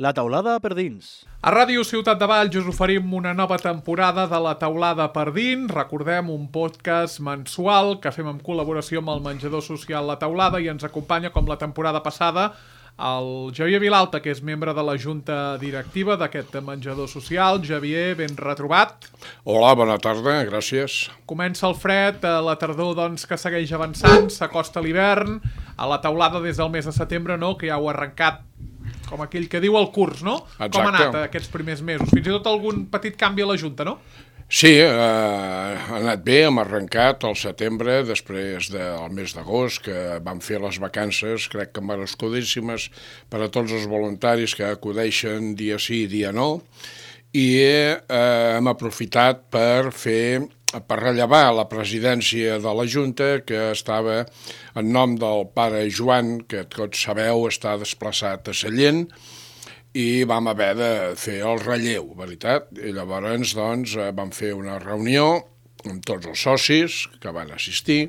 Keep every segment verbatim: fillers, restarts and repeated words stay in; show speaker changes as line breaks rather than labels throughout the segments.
La taulada per dins.
A Ràdio Ciutat de Valls us oferim una nova temporada de La taulada per dins. Recordem, un podcast mensual que fem en col·laboració amb el menjador social La Taulada i ens acompanya, com la temporada passada, el Javier Vilalta, que és membre de la junta directiva d'aquest menjador social. Javier, ben retrobat.
Hola, bona tarda, gràcies.
Comença el fred, la tardor doncs, que segueix avançant, s'acosta l'hivern. A La taulada des del mes de setembre, no?, que ja heu arrencat, com aquell que diu el curs, no?
Exacte.
Com ha anat aquests primers mesos? Fins i tot algun petit canvi a la Junta, no?
Sí, eh, ha anat bé, hem arrencat al setembre, després del mes d'agost, que vam fer les vacances, crec que merescudíssimes per a tots els voluntaris que acudeixen dia sí, dia no, i eh, hem aprofitat per fer... per rellevar la presidència de la Junta, que estava en nom del pare Joan, que tots sabeu està desplaçat a Sallent, i vam haver de fer el relleu, veritat? I llavors doncs, vam fer una reunió amb tots els socis que van assistir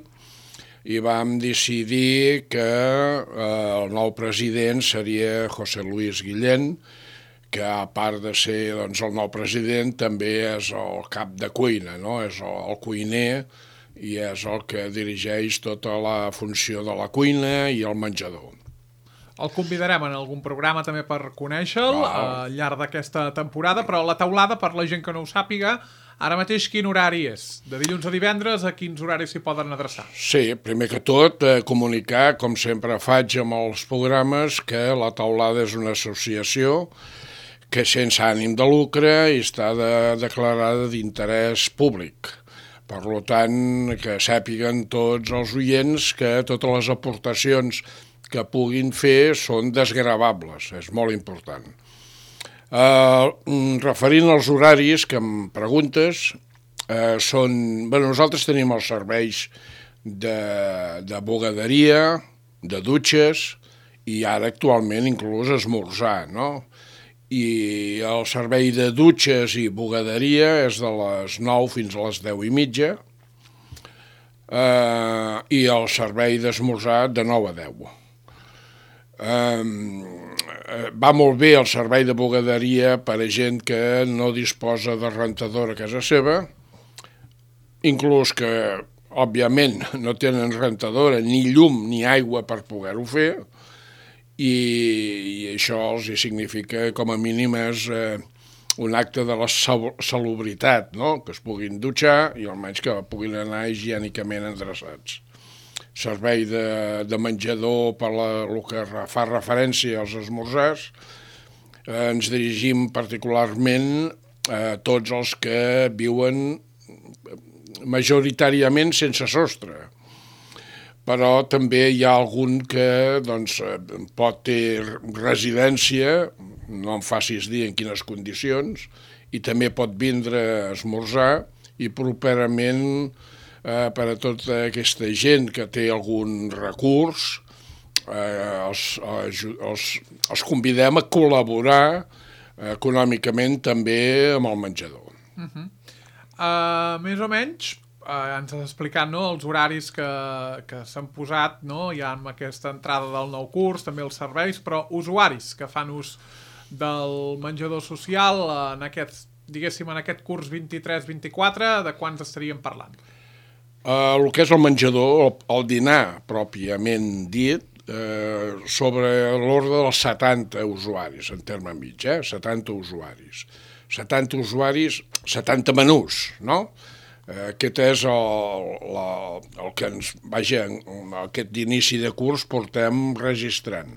i vam decidir que eh, el nou president seria José Luis Guillén, que a part de ser doncs, el nou president també és el cap de cuina, no? És el, el cuiner i és el que dirigeix tota la funció de la cuina i el menjador.
El convidarem en algun programa també per conèixer-lo
Wow.
al llarg d'aquesta temporada, però La taulada, per la gent que no ho sàpiga, ara mateix quin horari és? De dilluns a divendres, a quins horaris s'hi poden adreçar?
Sí, primer que tot, eh, comunicar, com sempre faig amb els programes, que La taulada és una associació que sense ànim de lucre i està de, declarada d'interès públic. Per tant, que sàpiguen tots els oients que totes les aportacions que puguin fer són desgravables, és molt important. Uh, referint als horaris que em preguntes, uh, són... Bé, nosaltres tenim els serveis de, de bugaderia, de dutxes i ara actualment inclús esmorzar, no? I el servei de dutxes i bugaderia és de les nou fins a les deu i mitja eh, i el servei d'esmorzar de nou a deu. Eh, va molt bé el servei de bugaderia per a gent que no disposa de rentador a casa seva, inclús que, òbviament, no tenen rentadora, ni llum ni aigua per poder-ho fer, i, i això els significa, com a mínim, és eh, un acte de la salubritat, no? Que es puguin dutxar i almenys que puguin anar higiènicament endreçats. Servei de, de menjador per la, el que fa referència als esmorzars, eh, ens dirigim particularment a tots els que viuen majoritàriament sense sostre, però també hi ha algun que doncs, pot ter residència, no em facis dir en quines condicions, i també pot vindre a esmorzar, i properament eh, per a tota aquesta gent que té algun recurs, eh, els, els, els convidem a col·laborar econòmicament també amb el menjador.
Uh-huh. Uh, més o menys, Uh, ens has explicat, no?, els horaris que, que s'han posat, no?, ja amb aquesta entrada del nou curs, també els serveis, però usuaris que fan ús del menjador social en aquest, diguéssim, en aquest curs vint-i-tres vint-i-quatre, de quants estaríem parlant?
Uh, el que és el menjador, el, el dinar pròpiament dit, uh, sobre l'ordre dels setanta usuaris, en terme mig, eh? setanta usuaris. setanta usuaris, setanta menús, no? Aquest és el, la, el que ens, vaja, aquest inici de curs portem registrant.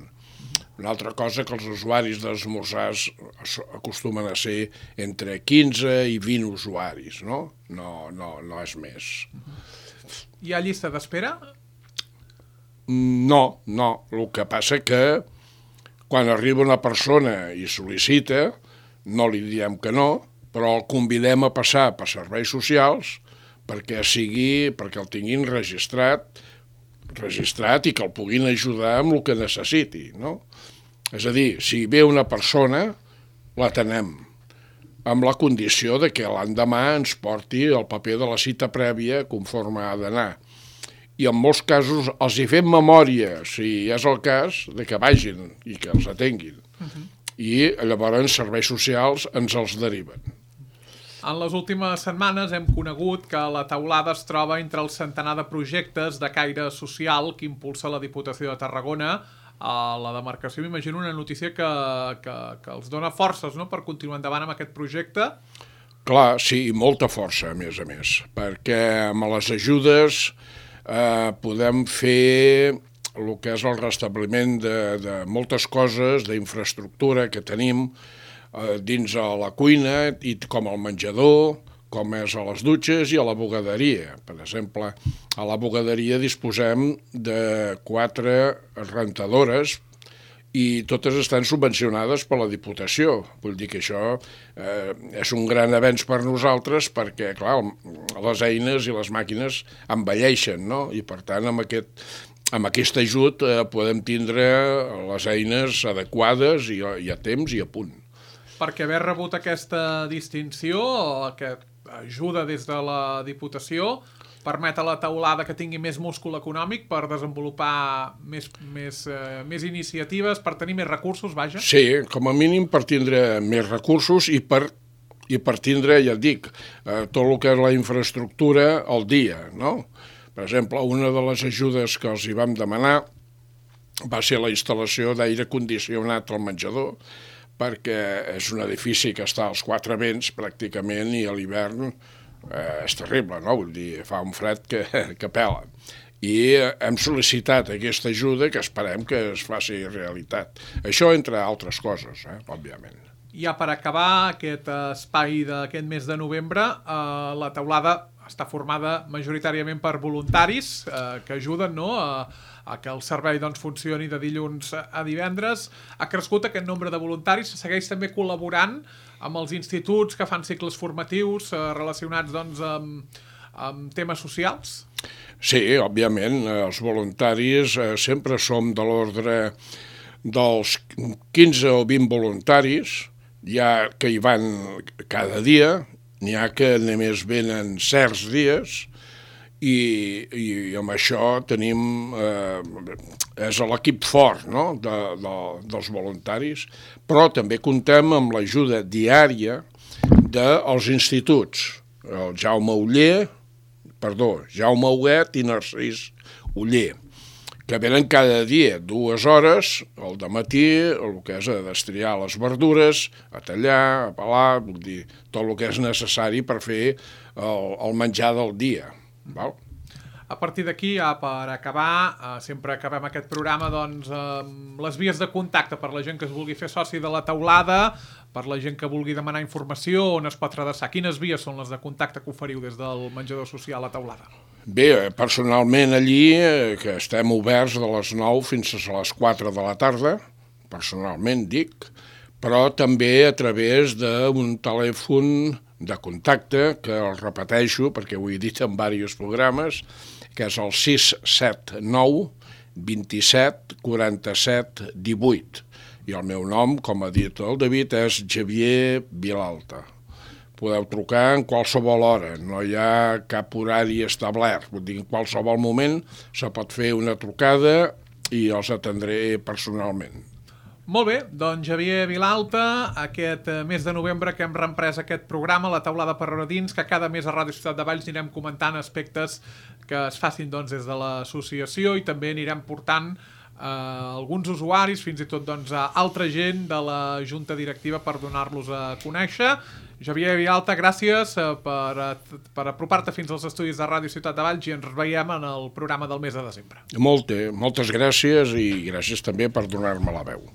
Una altra cosa que els usuaris d'esmorzars acostumen a ser entre quinze i vint usuaris, no? No, no, no és més.
Hi ha llista d'espera?
No, no. El que passa que quan arriba una persona i sol·licita, no li diem que no, però el convidem a passar per serveis socials perquè sigui, perquè el tinguin registrat, registrat i que el puguin ajudar amb el que necessiti, no? És a dir, si ve una persona, l'atenem, amb la condició de que l'endemà ens porti el paper de la cita prèvia conforme ha d'anar. I en molts casos els hi fem memòria, si és el cas, de que vagin i que els atenguin. Uh-huh. i llavors serveis socials ens els deriven.
En les últimes setmanes hem conegut que la taulada es troba entre el centenar de projectes de caire social que impulsa la Diputació de Tarragona a la demarcació. M'imagino una notícia que, que, que els dona forces, no?, per continuar endavant amb aquest projecte.
Clar, sí, i molta força, a més a més, perquè amb les ajudes eh, podem fer el que és el restabliment de, de moltes coses, d'infraestructura que tenim, dins a la cuina, i com al menjador, com és a les dutxes i a la bugaderia. Per exemple, a la bugaderia disposem de quatre rentadores i totes estan subvencionades per la Diputació. Vull dir que això eh, és un gran avenç per nosaltres perquè, clar, les eines i les màquines envelleixen, no? I per tant, amb aquest, amb aquest ajut eh, podem tindre les eines adequades i, i a temps i a punt.
Perquè haver rebut aquesta distinció, aquesta ajuda des de la Diputació, permet a la taulada que tingui més múscul econòmic per desenvolupar més, més, eh, més iniciatives, per tenir més recursos, vaja?
Sí, com a mínim per tindre més recursos i per, i per tindre, ja et dic, eh, tot el que és la infraestructura al dia, no? Per exemple, una de les ajudes que els hi vam demanar va ser la instal·lació d'aire condicionat al menjador, perquè és un edifici que està als quatre vents pràcticament i a l'hivern eh, és terrible, no? Vull dir, fa un fred que, que pela. I hem sol·licitat aquesta ajuda que esperem que es faci realitat. Això entre altres coses, eh, òbviament.
Ja per acabar aquest espai d'aquest mes de novembre, eh, la taulada està formada majoritàriament per voluntaris eh, que ajuden, no?, a, a que el servei doncs, funcioni de dilluns a divendres. Ha crescut aquest nombre de voluntaris, segueix també col·laborant amb els instituts que fan cicles formatius eh, relacionats doncs, amb, amb temes socials?
Sí, òbviament, els voluntaris eh, sempre som de l'ordre dels quinze o vint voluntaris, hi ha que hi van cada dia, n'hi ha que només venen certs dies, i, i amb això tenim, eh, és l'equip fort, no?, de, de, dels voluntaris, però també comptem amb l'ajuda diària dels instituts, el Jaume Oller, perdó, Jaume Huguet i Narcís Oller, que venen cada dia dues hores, al dematí, el que és a destriar les verdures, a tallar, a pelar, vull dir, tot el que és necessari per fer el, el menjar del dia. Val?
A partir d'aquí, ja per acabar, eh, sempre acabem aquest programa doncs, amb les vies de contacte per la gent que es vulgui fer soci de la taulada, per la gent que vulgui demanar informació, on es pot redreçar. Quines vies són les de contacte que oferiu des del menjador social a taulada?
Bé, personalment allí, eh, que estem oberts de les nou fins a les quatre de la tarda, personalment dic, però també a través d'un telèfon de contacte, que el repeteixo perquè ho he dit en diversos programes, que és el sis set nou vint-i-set quaranta-set divuit. I el meu nom, com ha dit el David, és Xavier Vilalta. Podeu trucar en qualsevol hora, no hi ha cap horari establert. Vull dir, en qualsevol moment se pot fer una trucada i els atendré personalment.
Molt bé, doncs Xavier Vilalta, aquest mes de novembre que hem reemprès aquest programa, la taulada per dins, que cada mes a Ràdio Ciutat de Valls anirem comentant aspectes que es facin doncs, des de l'associació i també anirem portant eh, alguns usuaris, fins i tot doncs, a altra gent de la junta directiva per donar-los a conèixer. Xavier Vilalta, gràcies per, per apropar-te fins als estudis de Ràdio Ciutat de Valls i ens veiem en el programa del mes de desembre.
Molt, moltes gràcies i gràcies també per donar-me la veu.